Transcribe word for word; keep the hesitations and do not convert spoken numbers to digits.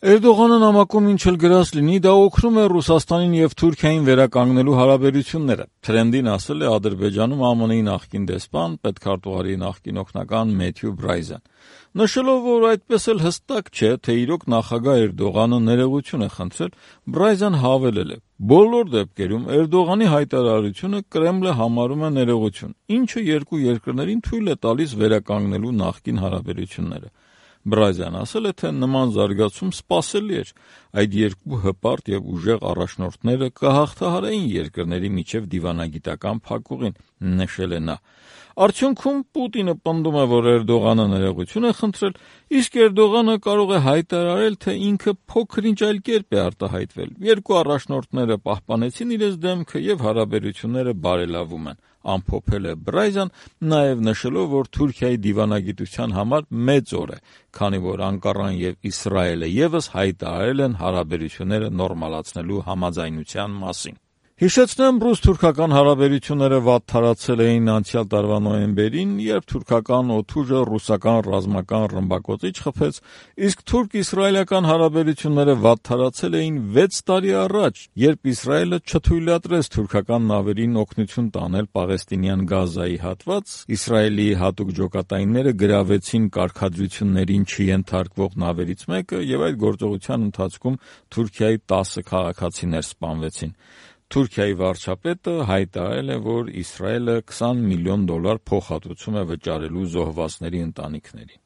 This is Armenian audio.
Էրդողանը նամակում ինչ էլ գրած լինի, դա օգնում է Ռուսաստանին եւ Թուրքիային վերականգնելու հարաբերությունները։ Թրենդին ասել է Ադրբեջանում Α M N-ի նախկին դեսպան, պետքարտուղարի նախկին օգնական Մեթյու Բրայզան, նշելով, որ այդպես էլ հստակ չէ, թե իրոք նախագահ Էրդողանը ներողություն է խնդրել, Բրայզան հավելել է. «Բոլոր դեպքերում Էրդողանի հայտարարությունը Կրեմլը համարում է ներողություն, ինչը երկու երկրներին թույլ է տալիս վերականգնելու նախկին հարաբերությունները»։ Բրայզան ասել է, թե նման զարգացում սպասելի էր, այդ երկու հպարտ եւ ուժեղ առաջնորդները կհաղթահարեին երկրների միջև դիվանագիտական փակուղին, նշել է նա։ Արդյունքում Պուտինը պնդում է, որ Էրդողանը ներողություն է խնդրել, իսկ Էրդողանը կարող է հայտարարել, թե ինքը փոքր-ինչ այլ կերպ է արտահայտվել։ Երկու առաջնորդները պահպանեցին իրենց դեմքը եւ հարաբերությունները բարելավում են, ամփոփել է Բրայզան, նաեւ նշելով, որ Թուրքիայի դիվանագիտության համար մեծ օր է, քանի որ Անկարան եւ Իսրայելը եւս հայտարարել են հարաբերությունները նորմալացնելու համաձայնության մասին։ Հիշեցնեմ, ռուս-թուրքական հարաբերությունները վատթարացել էին անցյալ տարվա նոյեմբերին, երբ թուրքական օդուժը ռուսական ռազմական ռմբակոծիչ խփեց, իսկ թուրք-իսրայելական հարաբերությունները վատթարացել էին վեց տարի առաջ, երբ Իսրայելը չթույլատրեց թուրքական նավերին օգնություն տանել Պաղեստինյան Գազայի հատված, Իսրայելի հատուկ ջոկատայինները գրավեցին կարգադրություններին չենթարկվող նավերից մեկը եւ այդ գործողության ընթացքում Թուրքիայի տասը քաղաքացիներ սպանվեցին։ Թուրքիայի վարչապետը հայտարարել է, որ Իսրայելը քսան միլիոն դոլար փոխհատուցում է վճարելու զոհվածների ընտանիքներին։